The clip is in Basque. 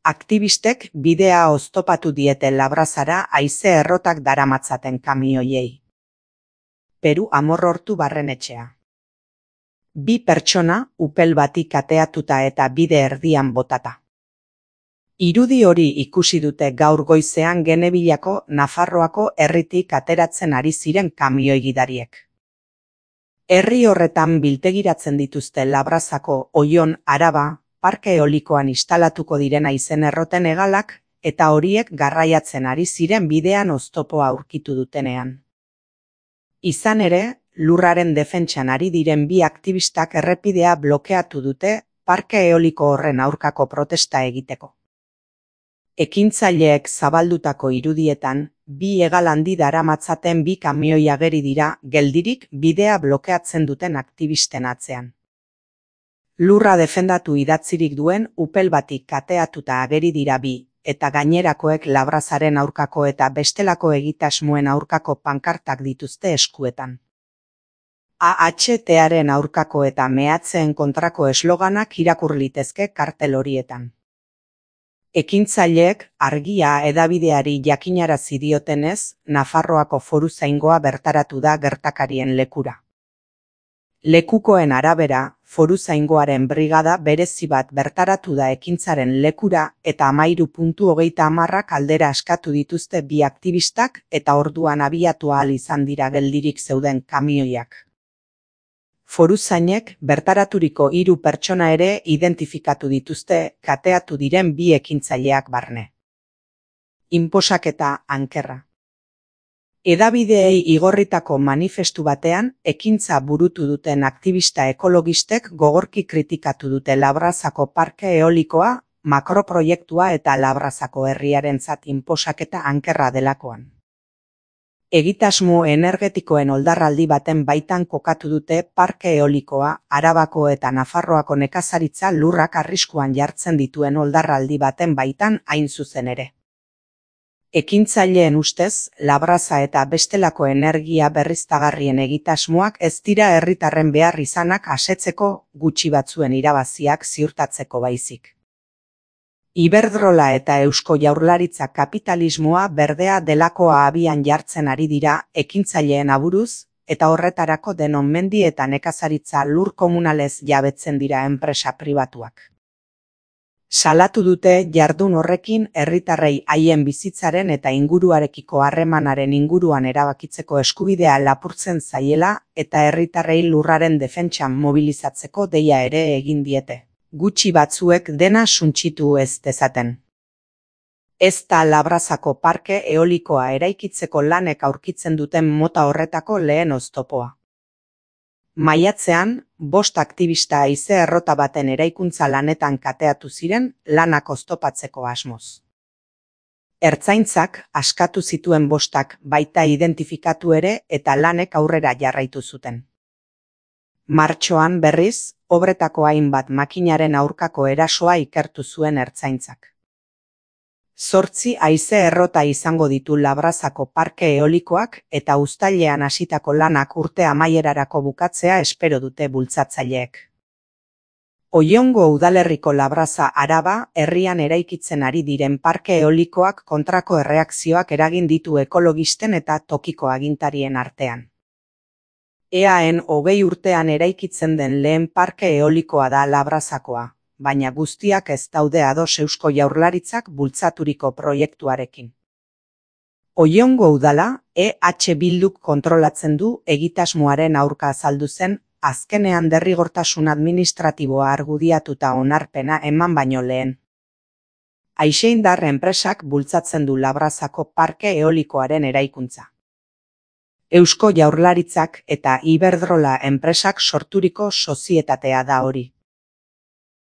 Aktivistek bidea oztopatu diete Labrazara haize errotak daramatzaten kamioiei. Peru Amorrortu barrenetxea. 2 pertsona upel bati kateatuta eta bide erdian botata. Irudi hori ikusi dute gaur goizean Genebillako Nafarroako herritik ateratzen ari ziren kamioi gidariek. Herri horretan biltegiratzen dituzte Labrazako Oion, Araba, parke eolikoan instalatuko diren haizen erroten hegalak eta horiek garraiatzen ari ziren bidean oztopoa aurkitu dutenean. Izan ere, lurraren defentsan ari diren 2 aktivistak errepidea blokeatu dute parke eoliko horren aurkako protesta egiteko. Ekintzaileek zabaldutako irudietan, 2 hegal handi daramatzaten 2 kamioi ageri dira geldirik bidea blokeatzen duten aktivisten atzean. Lurra defendatu idatzirik duen upel batik kateatuta ageri dira 2, eta gainerakoek Labrazaren aurkako eta bestelako egitasmoen aurkako pankartak dituzte eskuetan. AHTaren aurkako eta mehatzeen kontrako esloganak irakur litezke kartel horietan. Ekintzaileek argia hedabideari jakinarazi diotenez, Nafarroako foruzaingoa bertaratu da gertakarien lekura. Lekukoen arabera, foruzaingoaren brigada berezi bat bertaratu da ekintzaren lekura eta 13:30 aldera askatu dituzte 2 aktivistak eta orduan abiatu ahal izan dira geldirik zeuden kamioiak. Foruzainek bertaraturiko 3 pertsona ere identifikatu dituzte kateatu diren 2 ekintzaileak barne. Inposaketa ankerra. Hedabideei igorritako manifestu batean, ekintza burutu duten aktivista ekologistek gogorki kritikatu dute Labrazako parke eolikoa, makroproiektua eta Labrazako herriarentzat inposaketa ankerra delakoan. Egitasmo energetikoen oldarraldi baten baitan kokatu dute parke eolikoa, Arabako eta Nafarroako nekazaritza lurrak arriskuan jartzen dituen oldarraldi baten baitan hain zuzen ere. Ekintzaileen ustez, Labraza eta bestelako energia berriztagarrien egitasmoak ez dira herritarren behar izanak asetzeko gutxi batzuen irabaziak ziurtatzeko baizik. Iberdrola eta Eusko Jaurlaritza kapitalismoa berdea delakoa abian jartzen ari dira ekintzaileen aburuz, eta horretarako denon mendi eta nekazaritza lur komunalez jabetzen dira enpresa pribatuak. Salatu dute jardun horrekin herritarrei haien bizitzaren eta inguruarekiko harremanaren inguruan erabakitzeko eskubidea lapurtzen zaiela eta herritarrei lurraren defentsan mobilizatzeko deia ere egin diete. Gutxi batzuek dena suntsitu ez dezaten. Ez da Labrazako parke eolikoa eraikitzeko lanek aurkitzen duten mota horretako lehen oztopoa. Maiatzean, 5 aktivista haize errota baten eraikuntza lanetan kateatu ziren lanak oztopatzeko asmoz. Ertzaintzak askatu zituen 5 baita identifikatu ere eta lanek aurrera jarraitu zuten. Martxoan berriz, obretako hainbat makinaren aurkako erasoa ikertu zuen ertzaintzak. 8 haize errota izango ditu Labrazako parke eolikoak eta uztailean hasitako lanak urte amaierarako bukatzea espero dute bultzatzaileek. Oiongo udalerriko Labraza Araba herrian eraikitzen ari diren parke eolikoak kontrako erreakzioak eragin ditu ekologisten eta tokiko agintarien artean. EAen 20 urtean eraikitzen den lehen parke eolikoa da Labrazakoa, baina guztiak ez daude ados Eusko Jaurlaritzak bultzaturiko proiektuarekin. Oiongo udala, EH Bilduk kontrolatzen du egitasmoaren aurka azaldu zen, azkenean derrigortasun administratiboa argudiatuta onarpena eman baino lehen. Aixeindar enpresak bultzatzen du Labrazako parke eolikoaren eraikuntza. Eusko Jaurlaritzak eta Iberdrola enpresak sorturiko sozietatea da hori.